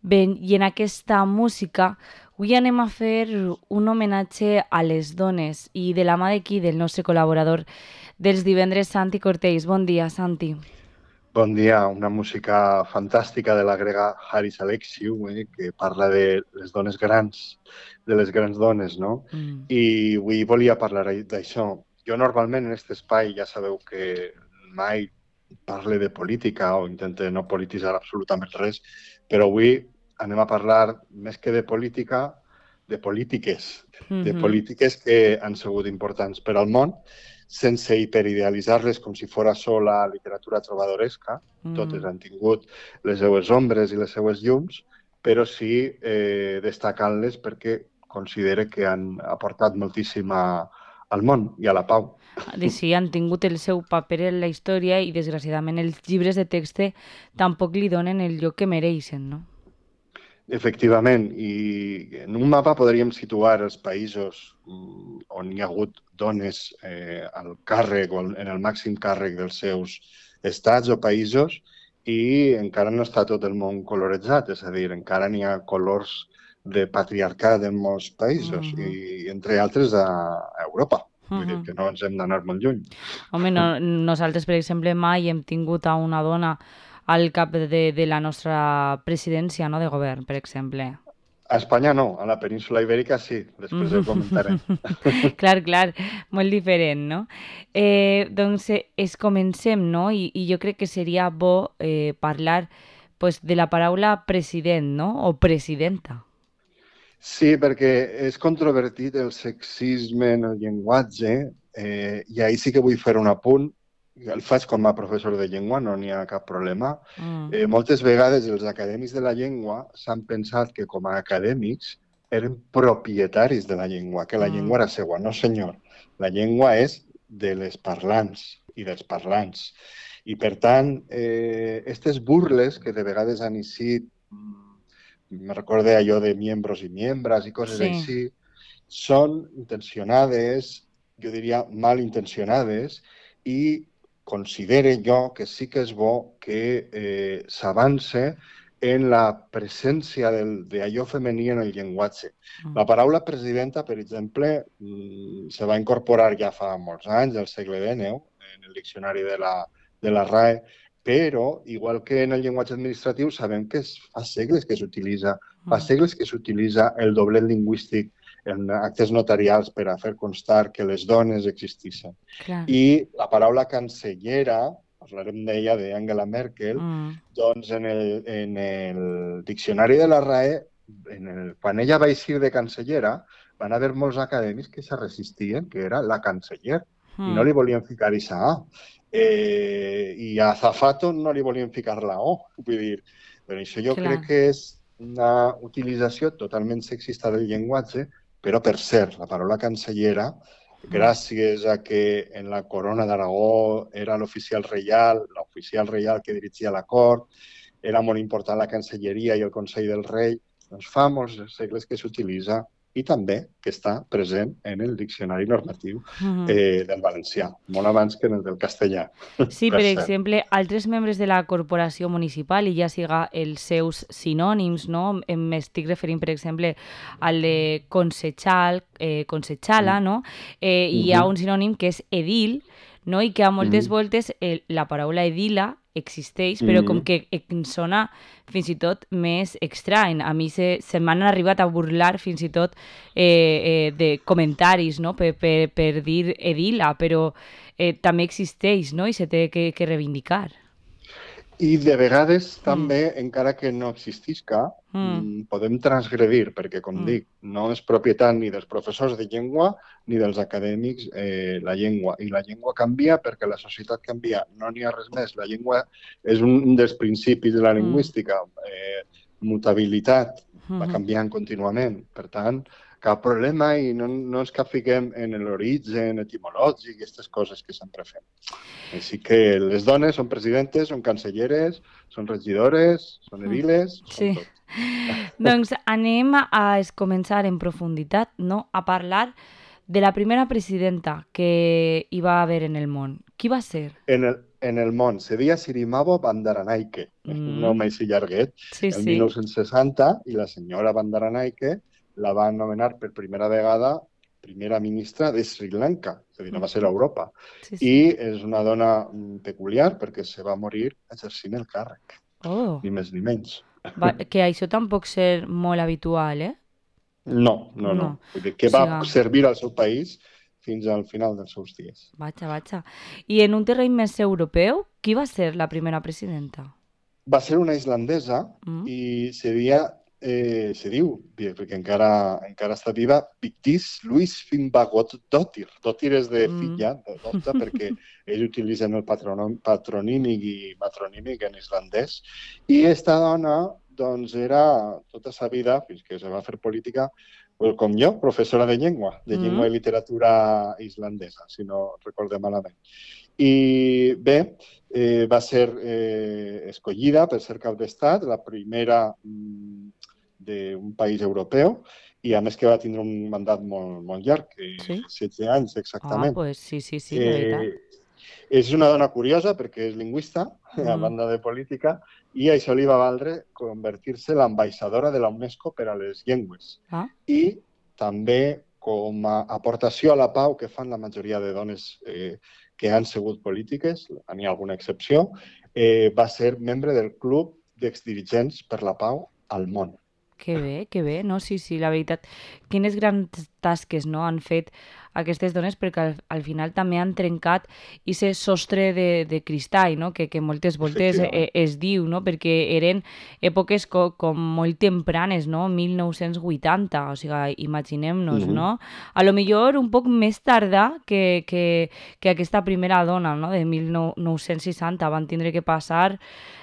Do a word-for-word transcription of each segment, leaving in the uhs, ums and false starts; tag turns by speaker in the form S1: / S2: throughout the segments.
S1: Bé, i en aquesta música avui anem a fer un homenatge a les dones i de la mà d'aquí del nostre col·laborador dels divendres, Santi Cortells. Bon dia, Santi.
S2: Bon dia, una música fantàstica de la grega Haris Alexiou, eh, que parla de les dones grans, de les grans dones, no?
S1: Mm.
S2: I avui volia parlar d'això. Jo normalment en aquest espai ja sabeu que mai parle de política o intente no polititzar absolutament res, però avui anem a parlar, més que de política, de polítiques, de
S1: Mm-hmm.
S2: polítiques que han sigut importants per al món, sense hiperidealitzar-les com si fos sola literatura trobadoresca. Totes
S1: Mm.
S2: han tingut les seues ombres i les seues llums, però sí eh, destacant-les perquè considere que han aportat moltíssim a, al món i a la pau.
S1: De sí, han tingut el seu paper en la història i, desgraciadament, els llibres de text tampoc li donen el lloc que mereixen, no?
S2: Efectivament, i en un mapa podríem situar els països mm, on hi ha hagut dones eh, al càrrec o en el màxim càrrec dels seus estats o països i encara no està tot el món coloritzat, és a dir, encara n'hi ha colors de patriarcat en molts països
S1: Mm-hmm.
S2: i entre altres a Europa. Vull dir
S1: Mm-hmm.
S2: que no ens hem d'anar molt lluny.
S1: Home, no, nosaltres, per exemple, mai hem tingut a una dona al cap de, de la nostra presidència, no?, de govern, per exemple.
S2: A Espanya no, a la península Ibèrica sí, després ho comentarem.
S1: Clar, clar, molt diferent, no? Eh, doncs eh, es comencem, no? I, I jo crec que seria bo eh, parlar pues, de la paraula president, no? O presidenta.
S2: Sí, perquè és controvertit el sexisme en el llenguatge eh, i ahir sí que vull fer un apunt. El faig com a professor de llengua, no n'hi ha cap problema.
S1: Mm.
S2: Eh, moltes vegades els acadèmics de la llengua s'han pensat que com a acadèmics eren propietaris de la llengua, que la
S1: Mm.
S2: llengua era seua. No, senyor. La llengua és de les parlants i dels parlants. I, per tant, eh, aquestes burles que de vegades han eixit, me recorde allò de miembros i miembres i coses
S1: Sí.
S2: així, són intencionades, jo diria malintencionades, i considere jo que sí que és bo que eh, s'avance en la presència d'allò femení en el llenguatge.
S1: Mm.
S2: La paraula presidenta, per exemple, se va incorporar ja fa molts anys, al segle dinou, en el diccionari de la, de la R A E, però, igual que en el llenguatge administratiu, sabem que es, fa segles que s'utilitza, fa
S1: Mm.
S2: segles que s'utilitza el doblet lingüístic en actes notarials per a fer constar que les dones existissin.
S1: Clar.
S2: I la paraula cancellera, parlarem d'ella, d'Angela Merkel,
S1: Mm.
S2: doncs en el, en el diccionari de la R A E, en el, quan ella va eixir de cancellera, van haver molts acadèmics que se resistien, que era la canceller, i no
S1: Mm.
S2: li volien ficar aquesta A. Eh, I a Zafato no li volien ficar la O. Vull dir, per això jo
S1: Clar.
S2: crec que és una utilització totalment sexista del llenguatge, però, per cert, la paraula cancellera, gràcies a que en la corona d'Aragó era l'oficial reial, l'oficial reial que dirigia la cort, era molt important la cancelleria i el Consell del Rei, doncs fa molts segles que s'utilitza i també que està present en el diccionari normatiu
S1: Mm.
S2: eh, del valencià, molt abans que en el del castellà,
S1: Sí,
S2: per
S1: per
S2: cert.
S1: exemple, altres membres de la corporació municipal, i ja siga els seus sinònims, no? M'estic referint, per exemple, al de consejal, eh, consejala, no? Eh,
S2: Mm
S1: hi ha
S2: -hmm.
S1: un sinònim que és edil, no? I que a moltes
S2: Mm
S1: voltes eh, la paraula edila existeix, però com
S2: -hmm.
S1: que em sona fins i tot més estrany. A mi se, se m'han arribat a burlar fins i tot eh, eh, de comentaris, no?, per, per, per dir edila, però eh, també existeix, no?, i se té que, que reivindicar.
S2: I de vegades
S1: Mm.
S2: també, encara que no existisca,
S1: Mm.
S2: podem transgredir, perquè, com
S1: Mm.
S2: dic, no és propietat ni dels professors de llengua ni dels acadèmics eh, la llengua. I la llengua canvia perquè la societat canvia. No n'hi ha res més. La llengua és un dels principis de la
S1: Mm.
S2: lingüística. Eh, mutabilitat, va
S1: Mm.
S2: canviant contínuament. Per tant, cap problema i no, no ens capfiquem en l'origen etimològic i aquestes coses que sempre fem. Així que les dones són presidentes, són cancelleres, són regidores, són ediles, són
S1: Sí.
S2: tot.
S1: Doncs anem a començar en profunditat, no?, a parlar de la primera presidenta que hi va haver en el món, Qui va ser?
S2: En el, en el món. Seria Sirimavo Bandaranaike, un
S1: Mm,
S2: nom així llarguet,
S1: sí,
S2: el
S1: sí.
S2: mil nou-cents seixanta, i la senyora Bandaranaike la va nomenar per primera vegada primera ministra de Sri Lanka, és a dir, no va ser a
S1: Mhm.
S2: Europa.
S1: Sí,
S2: I
S1: sí.
S2: és una dona mm, peculiar perquè se va morir exercint el càrrec,
S1: Oh,
S2: ni més ni menys.
S1: va, que això tampoc ser molt habitual, eh?
S2: No, no, no.
S1: No.
S2: Vull dir
S1: O
S2: que va
S1: sigui,
S2: servir al seu país fins al final dels seus dies.
S1: vaja, vaja. I en un terreny més europeu, qui va ser la primera presidenta?
S2: Va ser una islandesa
S1: Mm?
S2: i seria, eh, se diu, perquè encara, encara està viva, Vigdís Louise Finnbogadóttir. Dottir és de
S1: Mm.
S2: filla, de dota, perquè ells utilitzen el patronom, patronímic i matronímic en islandès. I esta dona, doncs, era tota sa vida, fins que se va fer política, com jo, professora de llengua, de llengua
S1: Mm?
S2: i literatura islandesa, si no recordem malament. I bé, eh, va ser eh, escollida per ser cap d'estat, la primera mm, d'un país europeu, i a més que va tindre un mandat molt, molt llarg, eh,
S1: Sí?
S2: setze anys
S1: Ah,
S2: exactament.
S1: pues sí, sí, sí, de veritat.
S2: Eh, és una dona curiosa perquè és lingüista, a
S1: Mm.
S2: banda de política, i això li va valdre convertir-se en l'ambaixadora de la UNESCO per a les llengües.
S1: Ah,
S2: I també com a aportació a la pau que fan la majoria de dones eh, que han sigut polítiques, n'hi ha alguna excepció, eh, va ser membre del Club d'Exdirigents per la Pau al món.
S1: que bé, que bé, no? Sí, sí, la veritat. Quines grans tasques, no?, han fet aquestes dones perquè al, al final també han trencat ese sostre de, de cristall, no?, que, que moltes voltes eh,
S2: Efectivament.
S1: es diu, no?, perquè eren èpoques co, com molt tempranes, no?, mil nou-cents vuitanta, o sigui, imaginem-nos,
S2: Mm -hmm.
S1: no? A lo millor un poc més tarda que, que, que aquesta primera dona, no?, de mil nou-cents seixanta, van tindre que passar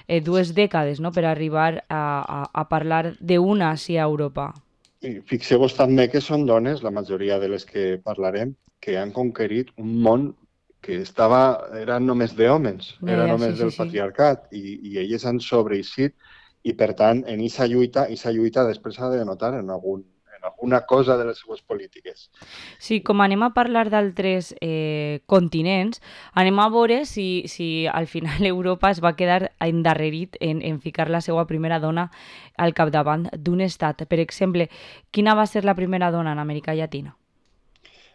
S1: eh, dues dècades, no?, per arribar a, a, a parlar d'una així a Europa.
S2: I fixeu-vos també que són dones, la majoria de les que parlarem, que han conquerit un món que estava, era només d'homes,
S1: Ja,
S2: era
S1: ja, sí,
S2: només
S1: sí,
S2: del
S1: sí.
S2: patriarcat, i, i elles han sobreeixit, i per tant, en aquesta lluita, aquesta lluita després s'ha de notar en, algun, en alguna cosa de les seues polítiques.
S1: Sí, com anem a parlar d'altres eh, continents, anem a veure si, si al final Europa es va quedar endarrerit en, en ficar la seva primera dona al capdavant d'un estat. Per exemple, quina va ser la primera dona en Amèrica Llatina?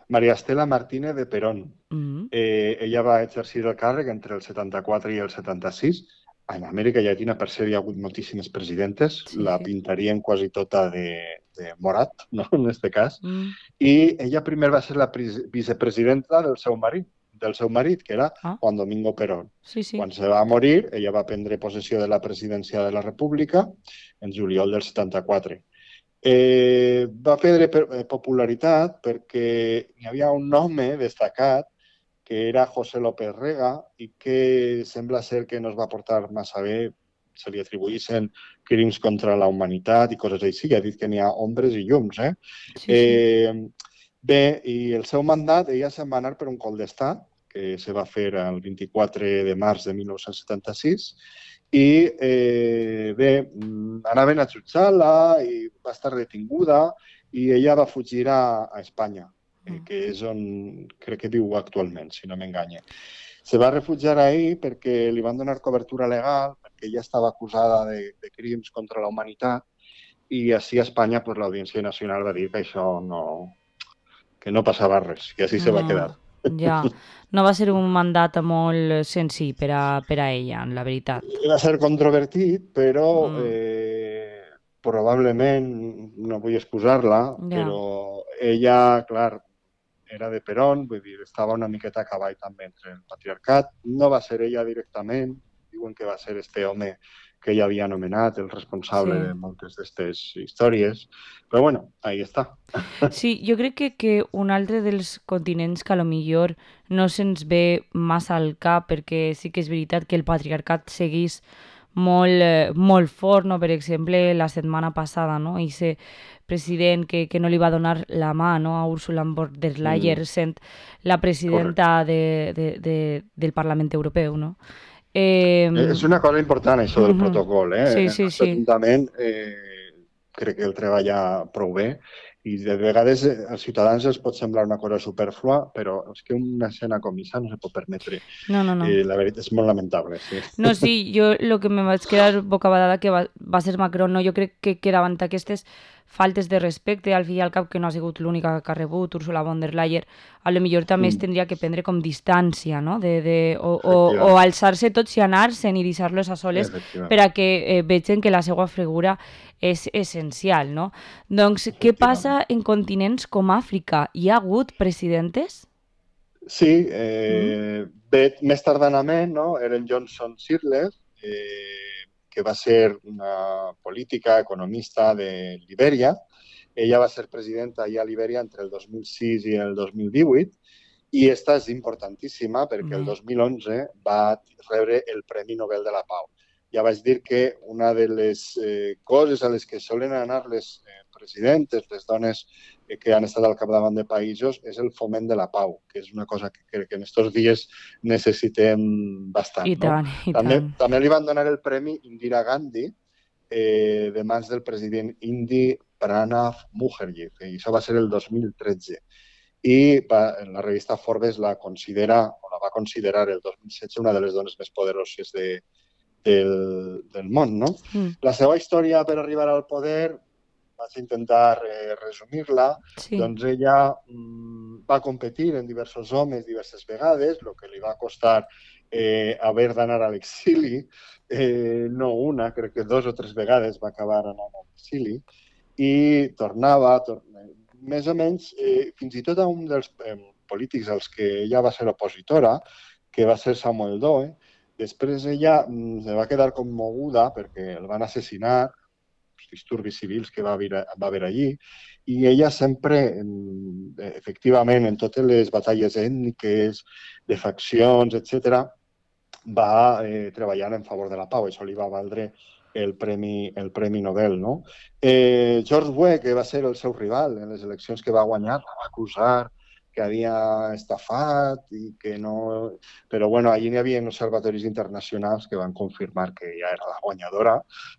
S2: María Estela Martínez de Perón.
S1: Mm.
S2: Eh, ella va exercir el càrrec entre el setanta-quatre i el setanta-sis. En Amèrica Llatina, per ser, hi ha hagut moltíssimes presidentes.
S1: Sí,
S2: La
S1: sí.
S2: pintarien quasi tota de, de morat, no?, en aquest cas.
S1: Mm.
S2: I ella primer va ser la vicepresidenta del seu marit, del seu marit, que era
S1: Ah,
S2: Juan Domingo Perón.
S1: sí, sí.
S2: Quan se va morir, ella va prendre possessió de la presidència de la República en juliol del setanta-quatre. Eh, va perdre popularitat perquè hi havia un home destacat que era José López Rega i que sembla ser que no es va portar massa bé, se li atribuïssin crims contra la humanitat i coses així. Ha dit que n'hi ha ombres i llums. Eh?
S1: Sí, sí.
S2: Eh, bé, i el seu mandat, ella se'n va anar per un cop d'estat, que se va fer el vint-i-quatre de març de mil nou-cents setanta-sis, i eh, bé, anaven a jutjar-la i va estar detinguda i ella va fugir a, a Espanya, eh, que és on crec que viu actualment, si no m'enganya. Se va refugiar ahí perquè li van donar cobertura legal, perquè ella estava acusada de, de crims contra la humanitat, i així a Espanya pues, l'Audiència Nacional va dir que això no, que no passava res, i així se va quedar.
S1: Ja, no va ser un mandat molt senzill per a, per a ella, la veritat.
S2: Va ser controvertit, però
S1: Mm.
S2: eh, probablement, no vull excusar-la,
S1: Ja.
S2: però ella, clar, era de Perón, vull dir, estava una miqueta a cavall també entre el patriarcat. No va ser ella directament, diuen que va ser este home que ella havia anomenat el responsable
S1: Sí.
S2: de moltes d'aquestes històries. Però bueno, ahí està.
S1: Sí, jo crec que, que un altre dels continents que a lo millor no se'ns ve massa al cap, perquè sí que és veritat que el patriarcat seguís molt, eh, molt fort, no? Per exemple, la setmana passada, no? Ese president que, que no li va donar la mà, no?, a Ursula von der Leyen,
S2: Mm.
S1: sent la presidenta de, de, de, del Parlament Europeu, no? Eh,
S2: És una cosa important, això del
S1: mhm.
S2: protocol. Eh?
S1: Sí,
S2: El
S1: sí,
S2: nostre
S1: sí.
S2: Ajuntament eh, crec que el treballa prou bé I de vegades eh, als ciutadans els pot semblar una cosa superflua, però és que una escena com aquesta no se pot permetre.
S1: No, no, no.
S2: Eh, la veritat és molt lamentable, sí.
S1: No, sí, jo el que me vaig quedar bocabadada que va, va ser Macron, no? Jo crec que, que davant aquestes faltes de respecte, al fi i al cap, que no ha sigut l'única que ha rebut, Ursula von der Leyen, a lo millor també es
S2: Mm,
S1: tindria que prendre com distància, no? De, de, o, o, o
S2: efectivament,
S1: alçar-se tots i anar-se'n i deixar-los a soles per
S2: efectivament,
S1: a que eh, vegin que la seva figura és essencial, no? Doncs, què passa
S2: efectivament.
S1: en continents com Àfrica? Hi ha hagut presidentes?
S2: Sí,
S1: Mm?
S2: eh, bé, més tardanament, no? Ellen Johnson Sirleaf, eh, que va ser una política, economista de Libèria. Ella va ser presidenta allà a Libèria entre el dos mil sis i el dos mil divuit, i esta és importantíssima perquè el
S1: Bé,
S2: dos mil onze va rebre el Premi Nobel de la Pau. Ja vaig dir que una de les eh, coses a les que solen anar les eh, presidentes, les dones eh, que han estat al capdavant de països, és el foment de la pau, que és una cosa que crec que en aquests dies necessitem bastant.
S1: i
S2: No?
S1: tant, i
S2: També,
S1: tant.
S2: també li van donar el Premi Indira Gandhi eh, de mans del president indi Pranab Mukherjee, i això va ser el dos mil tretze. I va, en la revista Forbes la considera, o la va considerar el dos mil setze una de les dones més poderoses de, del, del món. No?
S1: Mm,
S2: La seva història per arribar al poder, vaig intentar eh, resumir-la,
S1: sí.
S2: doncs ella mm, va competir en diversos homes diverses vegades, el que li va costar eh, haver d'anar a l'exili, eh, no una, crec que dos o tres vegades va acabar anant a l'exili, i tornava, tor més o menys, eh, fins i tot a un dels eh, polítics als que ella va ser opositora, que va ser Samuel Doe. Després ella mm, se va quedar commoguda perquè el van assassinar, els disturbis civils que va haver, va haver allí, i ella sempre, efectivament, en totes les batalles ètniques, de faccions, etcètera, va eh, treballant en favor de la pau. Això li va valdre el Premi, el Premi Nobel. No? Eh, George Weah, que va ser el seu rival en les eleccions que va guanyar, la va acusar que havia estafat i que no... Però bueno, allí n'hi havia observatoris internacionals que van confirmar que ja era la guanyadora,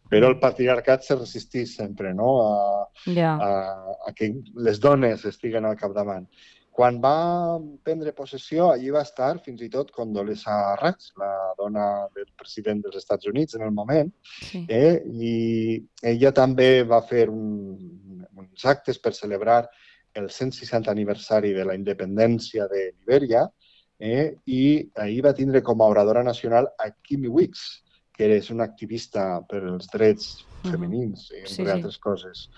S2: però el
S1: Mm,
S2: patriarcat se resistís sempre, no? a,
S1: ja.
S2: a, a que les dones estiguen al capdavant. Quan va prendre possessió, allí va estar fins i tot Condoleezza Rice, la dona del president dels Estats Units en el moment,
S1: Sí.
S2: eh? I ella també va fer un, uns actes per celebrar el cent seixantè aniversari de la independència de Libèria, eh? I ahir va tindre com a oradora nacional a Kimi Weeks, que és una activista per als drets
S1: Ujú.
S2: femenins,
S1: Sí,
S2: entre
S1: sí.
S2: altres coses.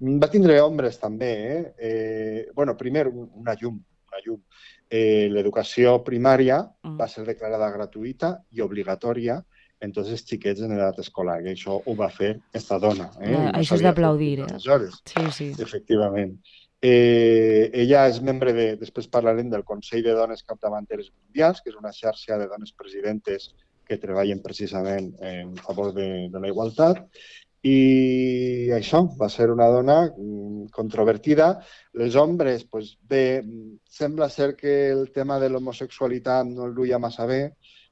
S2: Va tindre homes també, eh? eh bueno, primer una llum, una llum. Eh, L'educació primària
S1: Mm.
S2: va ser declarada gratuïta i obligatòria en tots els xiquets en edat escolar, i això ho va fer esta dona, eh?
S1: Eh,
S2: I no
S1: Això és
S2: s'havia fet
S1: d'aplaudir,
S2: fins
S1: eh?
S2: aleshores,
S1: Sí, sí.
S2: efectivament. Eh, ella és membre de, després parlarem del Consell de Dones Capdavanteres Mundials, que és una xarxa de dones presidentes que treballen precisament en favor de, de la igualtat, i això, va ser una dona mm, controvertida. Les homes, pues, bé, sembla ser que el tema de l'homosexualitat no el duia massa bé,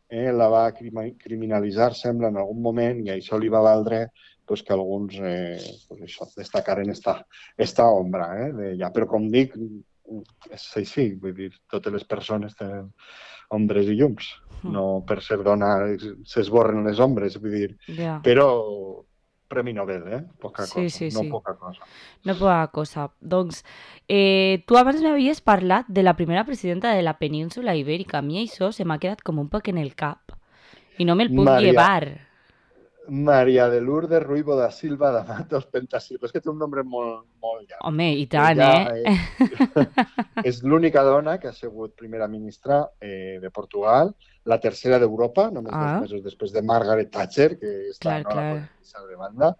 S2: eh, la va criminalitzar, sembla, en algun moment, i això li va valdre pues, que alguns eh, pues, això, destacaren esta, esta ombra. Eh, de ja. Però, com dic, és així, vull dir, totes les persones tenen ombres i llums.
S1: Mm.
S2: No per ser dona s'esborren les ombres, vull dir,
S1: Ja.
S2: però Premi Nobel, eh? Poca
S1: Sí,
S2: cosa,
S1: sí,
S2: no
S1: sí.
S2: poca cosa.
S1: No poca cosa. Doncs, eh, tu abans m'havies parlat de la primera presidenta de la península ibèrica. A mi això se m'ha quedat com un poc en el cap. I no me'l puc
S2: María,
S1: llevar.
S2: María de Lourdes Ruibo da Silva de Matos Pentasilva. És que té un nom molt, molt llarg.
S1: Home, i tant,
S2: Ella
S1: eh?
S2: eh, és l'única dona que ha sigut primera ministra eh, de Portugal, la tercera d'Europa, només dos
S1: Ah,
S2: mesos després de Margaret Thatcher, que està,
S1: clar,
S2: no la
S1: clar.
S2: podem deixar de banda.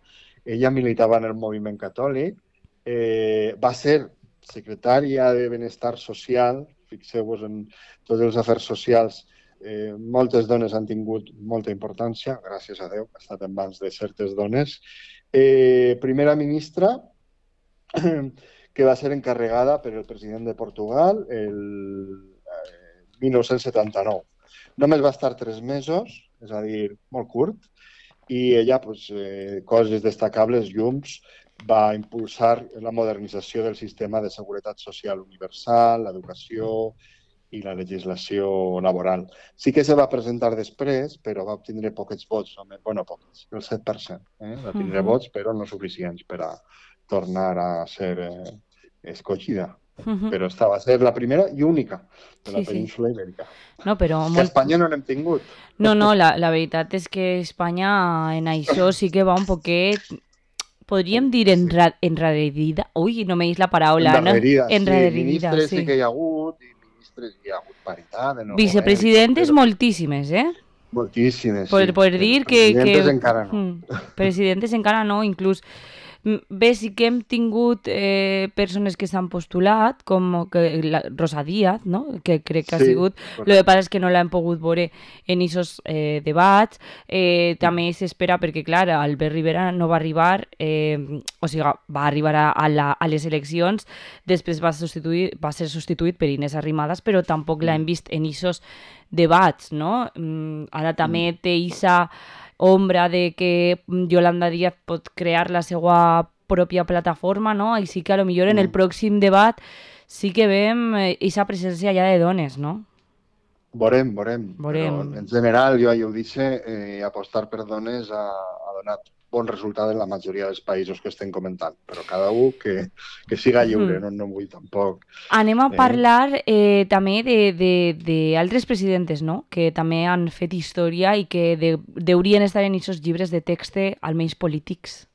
S2: Ella militava en el moviment catòlic, eh, va ser secretària de Benestar Social, fixeu-vos en tots els afers socials, eh, moltes dones han tingut molta importància, gràcies a Déu, ha estat en mans de certes dones. Eh, primera ministra, que va ser encarregada per el president de Portugal el eh, dinou setanta-nou. Només va estar tres mesos, és a dir, molt curt, i ella, pues, eh, coses destacables, llums, va impulsar la modernització del sistema de seguretat social universal, l'educació i la legislació laboral. Sí que se va presentar després, però va obtenir poquets vots, només, bueno, poquets, el set per cent. Eh? Va tindre
S1: Ujú,
S2: vots, però no suficients per a tornar a ser eh, escollida.
S1: ujú.
S2: Però esta va ser la primera i única de la
S1: Sí, sí.
S2: península ibèrica.
S1: No, però
S2: Que a
S1: molt...
S2: Espanya no n'hem tingut.
S1: No, no, la, la veritat és que Espanya en això sí que va un poquet, podríem dir
S2: Sí.
S1: enra enraridida. Ui, no me dis la paraula, no?
S2: Endarrerida, sí.
S1: Enraridida,
S2: Ministres sí
S1: sí.
S2: que hi ha hagut, i ministres hi ha hagut paritat en el govern i tot,
S1: Vicepresidentes
S2: però
S1: moltíssimes, eh?
S2: moltíssimes, sí.
S1: Poder, poder
S2: Però
S1: dir que,
S2: presidentes
S1: que
S2: encara no.
S1: hmm, presidentes encara no, inclús mm, bé, sí que hem tingut eh, persones que s'han postulat, com que la, Rosa Díaz, no? Que crec que ha
S2: Sí,
S1: sigut. El que
S2: correcte.
S1: passa és que no l'hem pogut veure en aquests eh, debats. Eh, també s'espera perquè, clar, Albert Rivera no va arribar, eh, o sigui, va arribar a, a, la, a les eleccions, després va, substituir, va ser substituït per Inés Arrimadas, però tampoc l'hem
S2: Mm,
S1: vist en aquests debats, no? Mm, ara també
S2: mm,
S1: té aquesta ombra de que Yolanda Díaz pot crear la seva pròpia plataforma, no? I sí que a lo millor en el
S2: mm.
S1: pròxim debat sí que veiem aquesta presència ja de dones, no?
S2: Veurem, veurem, però
S1: Veurem.
S2: en general, jo ja ho dice, eh, apostar per dones ha, ha donat bon resultat en la majoria dels països que estem comentant, però cada un que, que siga lliure,
S1: Hmm.
S2: no, no vull tampoc.
S1: Anem a
S2: Eh?
S1: parlar eh, també d'altres presidentes, no? Que també han fet història i que de, deurien estar en aquests llibres de text, almenys polítics.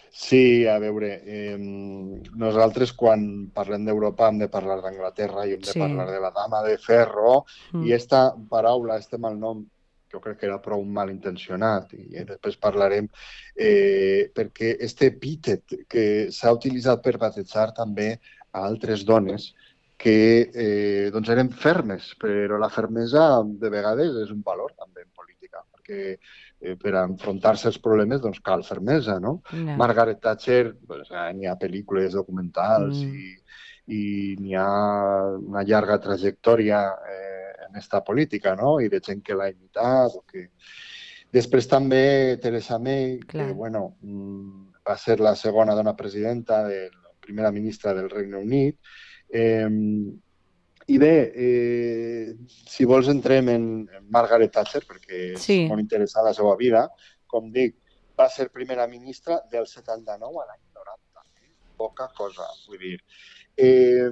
S2: Sí, a veure, eh, nosaltres quan parlem d'Europa hem de parlar d'Anglaterra i hem de
S1: Sí.
S2: parlar de la dama de ferro,
S1: Mm.
S2: i esta paraula, este malnom, jo crec que era prou malintencionat, i després parlarem, eh, perquè este epítet que s'ha utilitzat per batejar també a altres dones que eh, doncs eren fermes, però la fermesa de vegades és un valor també en política, perquè eh, per enfrontar-se als problemes doncs cal fermesa, no?
S1: No.
S2: Margaret Thatcher, pues, n'hi ha pel·lícules documentals
S1: Mm.
S2: i, i n'hi ha una llarga trajectòria eh, en esta política, no? I de gent que l'ha imitat o que... Després també Theresa May, que
S1: Clar.
S2: bueno, va ser la segona dona presidenta, de la primera ministra del Regne Unit. Eh, I bé, eh, si vols entrem en, en Margaret Thatcher, perquè és
S1: Sí.
S2: molt interessant la seva vida. Com dic, va ser primera ministra del setanta-nou a l'any noranta. Poca cosa, vull dir. Eh,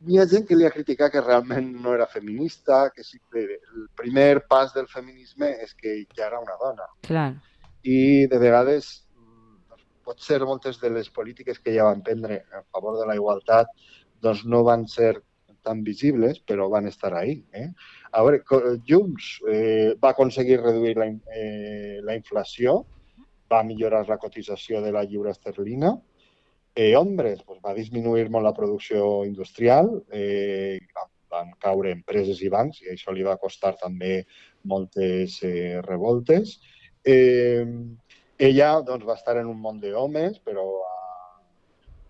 S2: hi ha gent que li ha criticat que realment no era feminista, que sí que el primer pas del feminisme és que ja era una dona.
S1: Clar.
S2: I de vegades potser moltes de les polítiques que ja van prendre a favor de la igualtat doncs no van ser tan visibles, però van estar ahí. Eh? A veure, Junts eh, va aconseguir reduir la, eh, la inflació, va millorar la cotització de la lliura esterlina. Eh, Hombres, pues, va disminuir molt la producció industrial, eh, van caure empreses i bancs, i això li va costar també moltes eh, revoltes. Eh, ella doncs, va estar en un món d'homes, però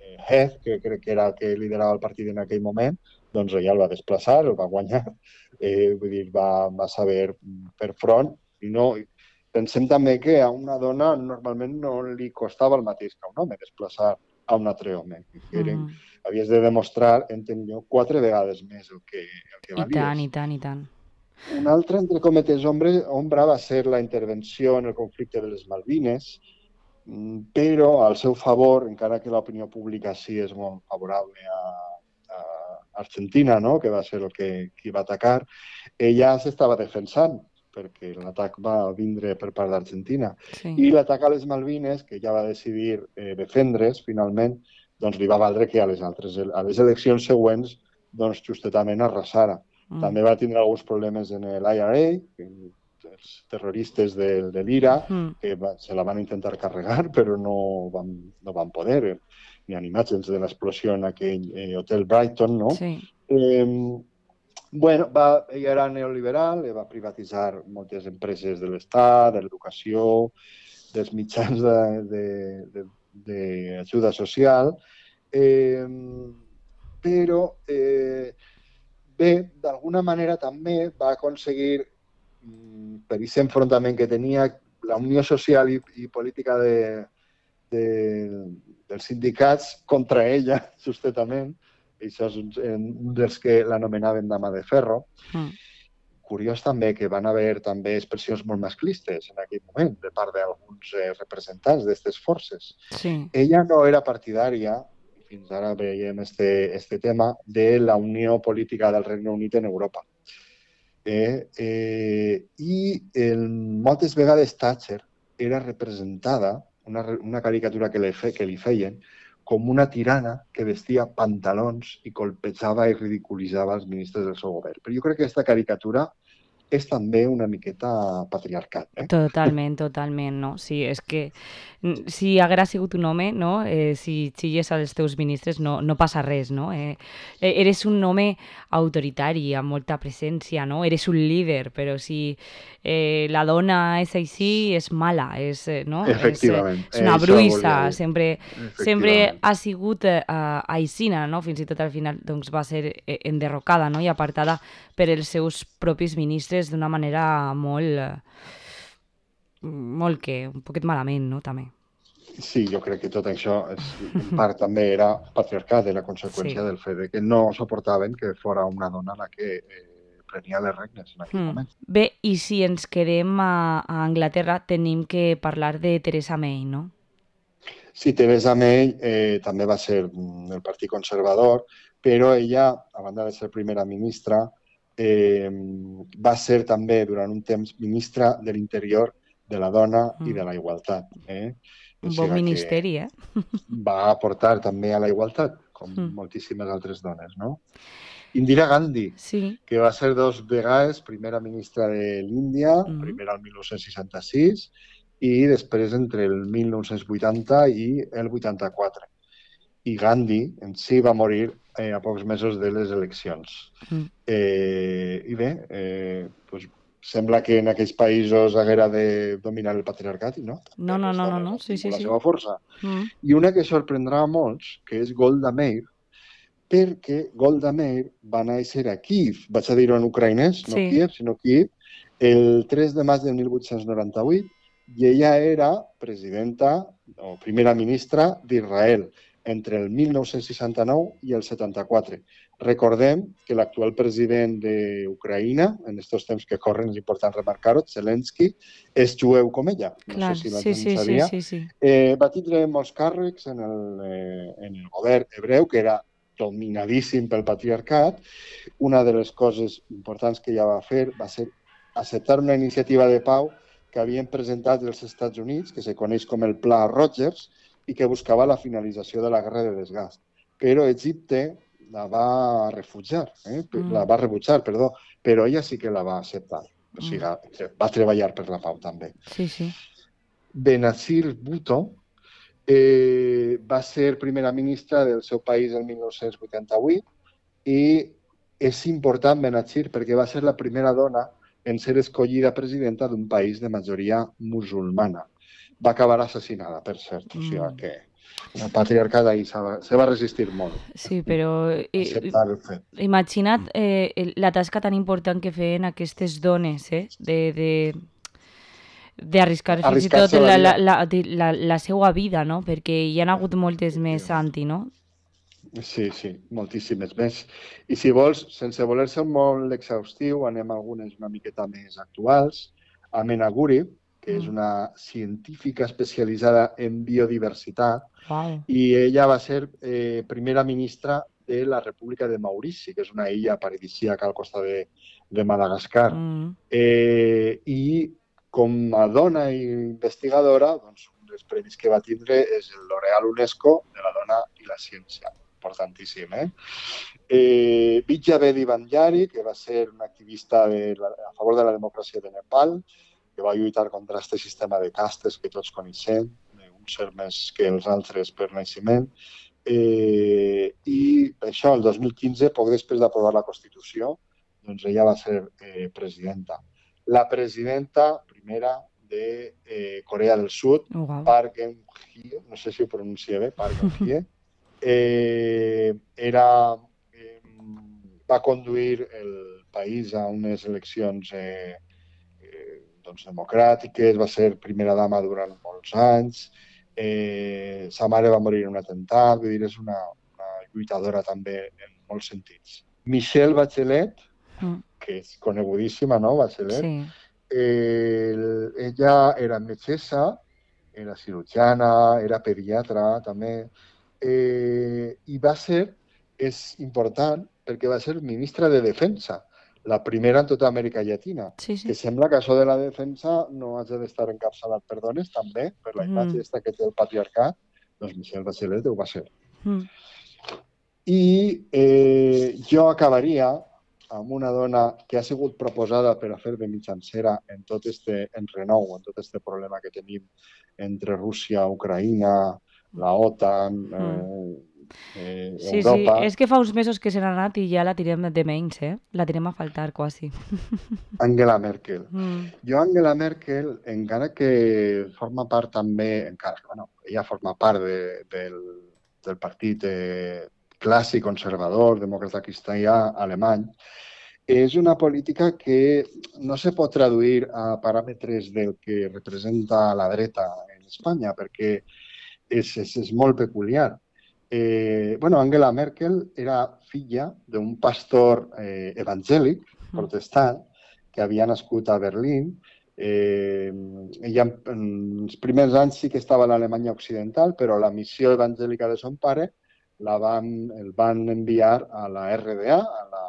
S2: eh, Heath, que crec que era el que liderava el partit en aquell moment, doncs ella el va desplaçar, el va guanyar, eh, vull dir, va, va saber fer front. I no, pensem també que a una dona normalment no li costava el mateix que a un home desplaçar a un altre home. Que eren,
S1: Mm.
S2: havies de demostrar, entenc jo, quatre vegades més el que, el que
S1: I
S2: valies.
S1: tant, i tant, i tant.
S2: Un altre, entre cometes, ombra, ombra va ser la intervenció en el conflicte de les Malvines, però al seu favor, encara que l'opinió pública sí és molt favorable a, a Argentina, no? Que va ser el que qui va atacar, ella s'estava defensant perquè l'atac va vindre per part d'Argentina.
S1: Sí.
S2: I l'atac a les Malvines, que ja va decidir eh, defendre's, finalment, doncs li va valdre que a les, altres, a les eleccions següents doncs justetament arrasara. Mm. També va tindre alguns problemes en l'I R A, que els terroristes de, de l'Ira, mm. que va, se la van intentar carregar, però no van, no van poder. N'hi ha imatges de l'explosió en aquell eh, hotel Brighton, no?
S1: Sí.
S2: Eh, bueno, va, ella era neoliberal, va privatitzar moltes empreses de l'Estat, de l'educació, dels mitjans d'ajuda social, eh, però eh, bé, d'alguna manera també va aconseguir, per aquest enfrontament que tenia, la Unió Social i, i Política de, de, dels sindicats contra ella, justament. Això és un, un dels que l'anomenaven dama de ferro.
S1: Mm.
S2: Curiós també que van haver també expressions molt masclistes en aquell moment de part d'alguns eh, representants d'aquestes forces.
S1: Sí.
S2: Ella no era partidària, i fins ara veiem este, este tema, de la Unió Política del Regne Unit en Europa. Eh, eh, I el, moltes vegades Thatcher era representada, una, una caricatura que li, fe, que li feien, com una tirana que vestia pantalons i colpejava i ridiculitzava els ministres del seu govern. Però jo crec que aquesta caricatura és també una miqueta patriarcat. Eh?
S1: Totalment, totalment, no? Sí, és que si haguera sigut un home, no? Eh, si xilles als teus ministres no, no passa res, no? Eh, eres un home autoritari, amb molta presència, no? Eres un líder, però si eh, la dona és així, és mala, és, no?
S2: Efectivament.
S1: És, és una bruixa, sempre, sempre ha sigut eh, aixina, no? Fins i tot al final doncs, va ser enderrocada, no? I apartada per els seus propis ministres d'una manera molt... molt que, un poquet malament, no?, també.
S2: Sí, jo crec que tot això és, en part també era patriarcat, era conseqüència sí. del fet de que no suportaven que fora una dona la que eh, prenia les regnes en aquell mm. moment.
S1: Bé, i si ens quedem a, a Anglaterra tenim que parlar de Theresa May, no?
S2: Sí, Theresa May eh, també va ser del Partit Conservador, però ella, a banda de ser primera ministra, eh, va ser també durant un temps ministra de l'Interior, de la dona mm. i de la igualtat. Eh?
S1: Un bon ministeri, eh?
S2: Va aportar també a la igualtat, com mm. moltíssimes altres dones, no? Indira Gandhi,
S1: sí.
S2: que va ser dos vegades primera ministra de l'Índia, mm. primer al dinou seixanta-sis i després entre el mil nou-cents vuitanta i el vuitanta-quatre. I Gandhi en si va morir eh, a pocs mesos de les eleccions. Mm. Eh, I bé, eh, doncs, sembla que en aquells països haguera de dominar el patriarcat, i no?
S1: No, no, no, no, no. Sí, sí,
S2: la
S1: sí.
S2: seva força.
S1: Mm.
S2: I una que sorprendrà a molts, que és Golda Meir, perquè Golda Meir va néixer a Kíev, vaig a dir-ho en ucraïnès, no sí. Kíev, sinó Kíev, el tres de maig de mil vuit-cents noranta-vuit, i ella era presidenta o primera ministra d'Israel entre el mil nou-cents seixanta-nou i el setanta-quatre. Recordem que l'actual president d'Ucraïna, en aquests temps que corren, és important remarcar-ho, Zelensky, és jueu com ella. No
S1: Clar,
S2: sé si la
S1: sí,
S2: gent
S1: sí,
S2: sabia.
S1: Sí, sí, sí.
S2: Eh, va tindre molts càrrecs en el, eh, en el govern hebreu, que era dominadíssim pel patriarcat. Una de les coses importants que ella va fer va ser acceptar una iniciativa de pau que havien presentat els Estats Units, que se coneix com el Pla Rogers, i que buscava la finalització de la guerra de desgast. Però Egipte la va refugiar, eh? mm. la va rebutjar, perdó, però ella sí que la va acceptar. O sigui, mm. va treballar per la pau també.
S1: Sí, sí.
S2: Benazir Bhutto eh, va ser primera ministra del seu país el mil nou-cents vuitanta-vuit i és important Benazir perquè va ser la primera dona en ser escollida presidenta d'un país de majoria musulmana. Va acabar assassinada, per cert. O sigui que el patriarcat ahí se va, se va resistir molt.
S1: Sí, però
S2: acceptar el fet.
S1: Imagina't eh, la tasca tan important que feien aquestes dones, eh? De, de, d'arriscar fins i tot la, la, la, la, la seva vida, no? Perquè hi ha hagut moltes més anti, no?
S2: Sí, sí, moltíssimes més. I si vols, sense voler ser molt exhaustiu, anem a algunes una miqueta més actuals. Amena Guri, que és una científica especialitzada en biodiversitat,
S1: wow.
S2: i ella va ser eh, primera ministra de la República de Maurici, que és una illa paradisíaca al costat de, de Madagascar.
S1: Mm.
S2: Eh, I com a dona i investigadora, doncs, un dels premis que va tindre és el L'Oreal UNESCO de la dona i la ciència. Importantíssim, eh? eh Vidya Bedi Bandari, que va ser una activista de la, a favor de la democràcia de Nepal, que va lluitar contra aquest sistema de castes que tots coneixem, uns ser més que els altres per naixement. Eh, I això, el dos mil quinze, poc després d'aprovar la Constitució, doncs ella va ser eh, presidenta. La presidenta primera de eh, Corea del Sud,
S1: oh, wow.
S2: Park Geun-hye, no sé si ho pronuncia bé, Park Geun-hye, eh, era, eh, va conduir el país a unes eleccions eh, doncs, democràtiques, va ser primera dama durant molts anys, eh, sa mare va morir en un atemptat, vull dir, és una, una lluitadora també en molts sentits. Michelle Bachelet,
S1: Mm.
S2: que és conegudíssima, no?, Bachelet,
S1: Sí.
S2: eh, ella era metgessa, era cirurgiana, era pediatra també, eh, i va ser, és important, perquè va ser ministra de Defensa, la primera en tota Amèrica Llatina,
S1: Sí, sí.
S2: que sembla que això de la defensa no hagi d'estar encapçalat per dones, també, per la imatge
S1: Mm.
S2: esta que té el patriarcat, doncs Michelle Bachelet ho va ser.
S1: Mm.
S2: I eh, jo acabaria amb una dona que ha sigut proposada per a fer de mitjancera en tot este enrenou, en tot este problema que tenim entre Rússia, Ucraïna, la OTAN, eh, eh,
S1: Sí, sí,
S2: Europa.
S1: és que fa uns mesos que se n'ha anat i ja la tirem de menys, eh? La tirem a faltar, quasi.
S2: Angela Merkel.
S1: Mm.
S2: Jo, Angela Merkel, encara que forma part també, encara que, bueno, ella forma part de, del, del partit eh, clàssic, conservador, demòcrata cristià alemany, és una política que no se pot traduir a paràmetres del que representa la dreta en Espanya, perquè és, és, és molt peculiar. Eh, bueno, Angela Merkel era filla d'un pastor eh, evangèlic, protestant, que havia nascut a Berlín. Eh, ella en els primers anys sí que estava a l'Alemanya Occidental, però la missió evangèlica de son pare la van, el van enviar a la R D A, a la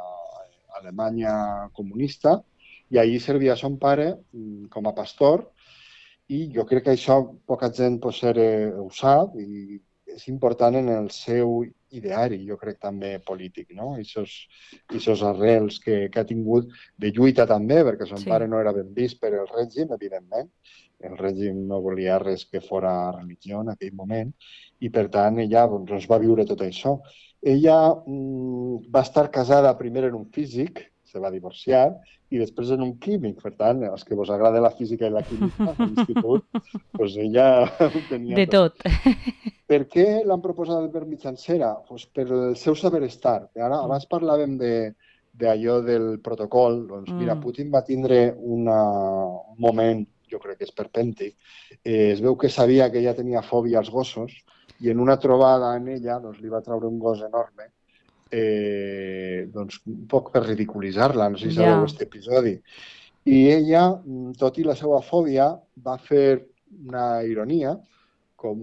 S2: Alemanya comunista, i allí servia son pare com a pastor, i jo crec que això poca gent pot ser, eh, ho sap, i és important en el seu ideari, jo crec també polític, no? Aquests arrels que, que ha tingut de lluita també, perquè son
S1: Sí.
S2: pare no era ben vist per el règim, evidentment. El règim no volia res que fora religió en aquell moment, i per tant ella doncs, va viure tot això. Ella mm, va estar casada primer en un físic, se va divorciar, i després en un químic. Per tant, els que vos agrada la física i la química a l'institut, doncs ella ho tenia
S1: De tot.
S2: Per què l'han proposat per mitjancera? Pues per el seu saber estar. Ara, abans parlàvem de d'allò del protocol. Doncs mira, Putin va tindre una, un moment, jo crec que és perpèntic. Eh, es veu que sabia que ella tenia fòbia als gossos i en una trobada en ella doncs, li va treure un gos enorme, eh, doncs, un poc per ridiculitzar-la. No sé si sabeu
S1: Ja.
S2: aquest episodi. I ella, tot i la seva fòbia, va fer una ironia, com,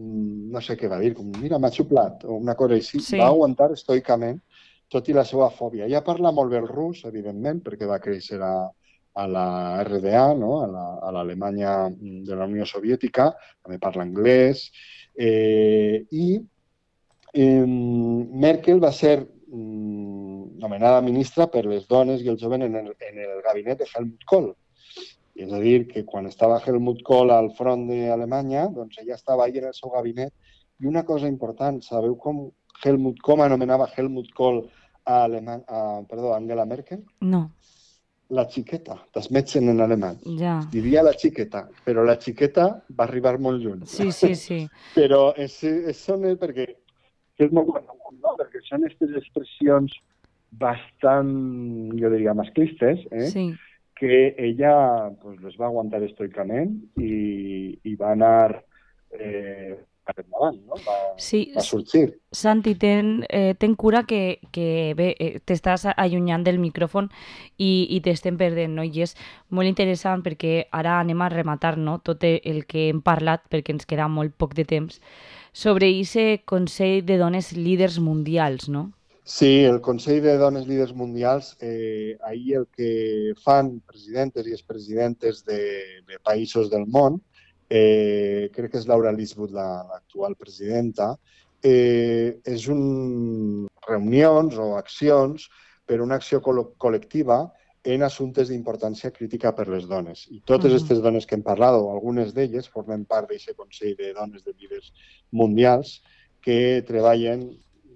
S2: no sé què va dir, com, mira, m'ha xuplat, o una cosa així.
S1: Sí.
S2: Va aguantar estoicament, tot i la seva fòbia. Ella parla molt bé el rus, evidentment, perquè va créixer a, a la R D A, no? a la- a l'Alemanya de la Unió Soviètica, també parla anglès, eh, i eh, Merkel va ser mm, nomenada ministra per les dones i els joves en el, en el gabinet de Helmut Kohl. És a dir, que quan estava Helmut Kohl al front d'Alemanya, doncs ella estava ahí en el seu gabinet. I una cosa important, sabeu com Helmut, com anomenava Helmut Kohl a, Aleman, a, perdó, a Angela Merkel?
S1: No.
S2: La xiqueta, das Mädchen en alemany.
S1: Ja.
S2: Diria la xiqueta, però la xiqueta va arribar molt lluny.
S1: Sí, sí, sí.
S2: Però és, és, són perquè és molt conegut, no? Perquè són aquestes expressions bastant, jo diria, masclistes, eh?
S1: Sí.
S2: que ella pues, les va aguantar estoicament i, i va anar eh, endavant, no? Va,
S1: Sí,
S2: va sorgir.
S1: Santi, ten, eh, ten cura que, que bé, eh, t'estàs allunyant del micròfon i, i t'estem perdent, no? I és molt interessant perquè ara anem a rematar, no?, tot el que hem parlat, perquè ens queda molt poc de temps, sobre aquest Consell de Dones Líders Mundials, no?
S2: Sí, el Consell de Dones Líders Mundials, eh, ahir el que fan presidentes i expresidentes de, de països del món, eh, crec que és Laura Lisbeth l'actual presidenta, eh, és un reunions o accions per una acció col col·lectiva en assumptes d'importància crítica per les dones. I totes aquestes uh -huh. dones que hem parlat, o algunes d'elles, formen part d'aquest Consell de Dones de Líders Mundials que treballen,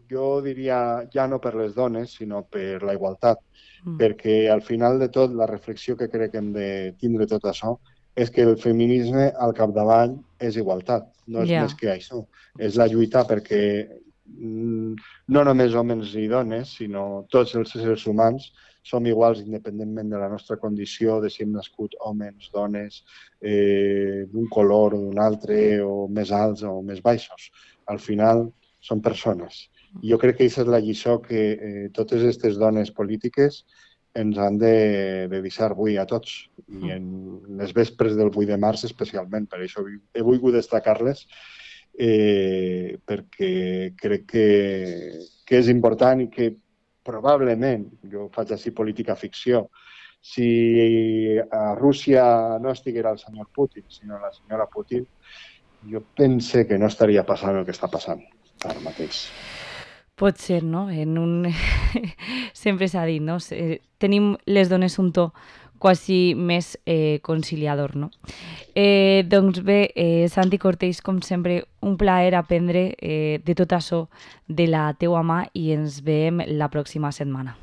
S2: jo diria, ja no per les dones, sinó per la igualtat, mm. perquè al final de tot la reflexió que crec que hem de tindre tot això és que el feminisme al capdavall és igualtat, no és yeah. més que això. És la lluita perquè mm, no només homes i dones, sinó tots els éssers humans som iguals independentment de la nostra condició, de si hem nascut homes, dones, eh, d'un color o d'un altre, o més alts o més baixos. Al final són persones. I jo crec que aquesta és la lliçó que eh, totes aquestes dones polítiques ens han de, de deixar avui a tots, i en les vespres del vuit de març especialment. Per això he volgut destacar-les, eh, perquè crec que, que és important i que probablement, jo faig així política ficció, si a Rússia no estiguera el senyor Putin, sinó la senyora Putin, jo pense que no estaria passant el que està passant ara mateix.
S1: Pot ser, no? En un... Sempre s'ha dit, no? Tenim les dones un to quasi més eh, conciliador, no? Eh, doncs bé, eh, Santi Cortés, com sempre, un plaer aprendre eh, de tot això de la teua mà i ens veiem la pròxima setmana.